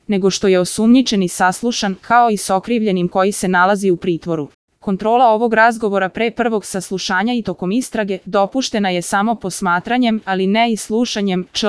nego što je osumnjičeni saslušan, kao i s okrivljenim koji se nalazi u pritvoru. Kontrola ovog razgovora pre prvog saslušanja i tokom istrage dopuštena je samo posmatranjem, ali ne i slušanjem, čl.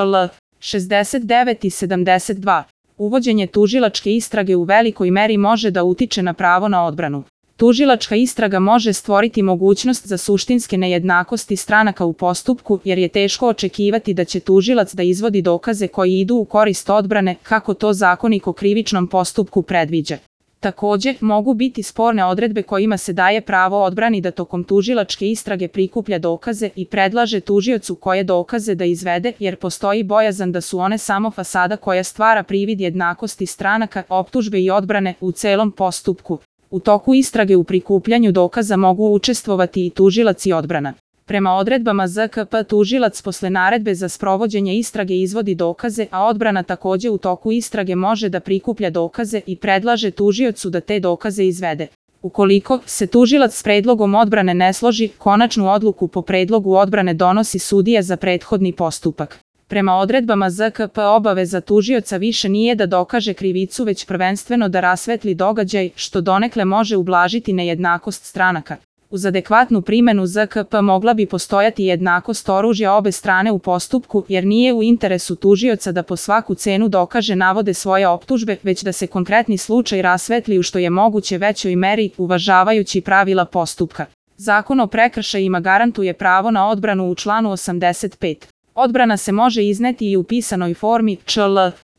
69 i 72. Uvođenje tužilačke istrage u velikoj meri može da utiče na pravo na odbranu. Tužilačka istraga može stvoriti mogućnost za suštinske nejednakosti stranaka u postupku, jer je teško očekivati da će tužilac da izvodi dokaze koji idu u korist odbrane, kako to Zakonik o krivičnom postupku predviđa. Takođe, mogu biti sporne odredbe kojima se daje pravo odbrani da tokom tužilačke istrage prikuplja dokaze i predlaže tužiocu koje dokaze da izvede, jer postoji bojazan da su one samo fasada koja stvara privid jednakosti stranaka, optužbe i odbrane u celom postupku. U toku istrage u prikupljanju dokaza mogu učestvovati i tužilac i odbrana. Prema odredbama ZKP tužilac posle naredbe za sprovođenje istrage izvodi dokaze, a odbrana takođe u toku istrage može da prikuplja dokaze i predlaže tužiocu da te dokaze izvede. Ukoliko se tužilac s predlogom odbrane ne složi, konačnu odluku po predlogu odbrane donosi sudija za prethodni postupak. Prema odredbama ZKP obaveza tužioca više nije da dokaže krivicu, već prvenstveno da rasvetli događaj, što donekle može ublažiti nejednakost stranaka. Uz adekvatnu primenu ZKP mogla bi postojati jednakost oružja obe strane u postupku, jer nije u interesu tužioca da po svaku cenu dokaže navode svoje optužbe, već da se konkretni slučaj rasvetli u što je moguće većoj meri, uvažavajući pravila postupka. Zakon o prekršajima garantuje pravo na odbranu u članu 85. Odbrana se može izneti i u pisanoj formi, čl.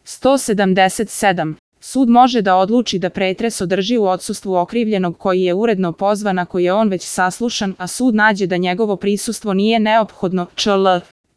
177. Sud može da odluči da pretres održi u odsustvu okrivljenog koji je uredno pozvan ako je on već saslušan, a sud nađe da njegovo prisustvo nije neophodno, čl.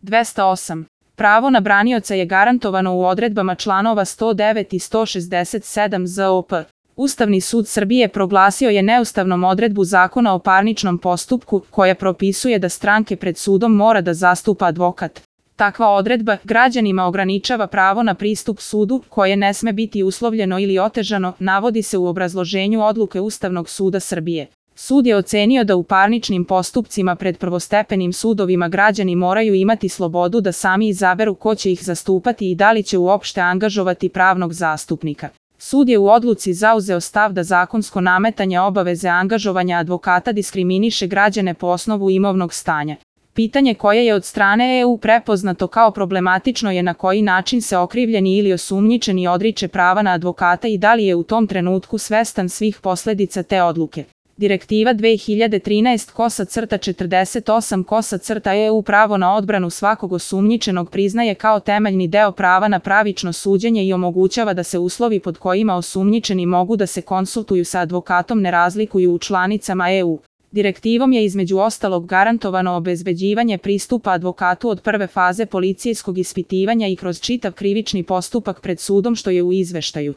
208. Pravo na branioca je garantovano u odredbama članova 109 i 167 ZOP. Ustavni sud Srbije proglasio je neustavnom odredbu Zakona o parničnom postupku, koja propisuje da stranke pred sudom mora da zastupa advokat. Takva odredba građanima ograničava pravo na pristup sudu, koje ne sme biti uslovljeno ili otežano, navodi se u obrazloženju odluke Ustavnog suda Srbije. Sud je ocenio da u parničnim postupcima pred prvostepenim sudovima građani moraju imati slobodu da sami izaberu ko će ih zastupati i da li će uopšte angažovati pravnog zastupnika. Sud je u odluci zauzeo stav da zakonsko nametanje obaveze angažovanja advokata diskriminiše građane po osnovu imovnog stanja. Pitanje koje je od strane EU prepoznato kao problematično je na koji način se okrivljeni ili osumnjičeni odriče prava na advokata i da li je u tom trenutku svestan svih posledica te odluke. Direktiva 2013/48/EU pravo na odbranu svakog osumnjičenog priznaje kao temeljni deo prava na pravično suđenje i omogućava da se uslovi pod kojima osumnjičeni mogu da se konsultuju sa advokatom ne razlikuju u članicama EU. Direktivom je između ostalog garantovano obezbeđivanje pristupa advokatu od prve faze policijskog ispitivanja i kroz čitav krivični postupak pred sudom, što je u izveštaju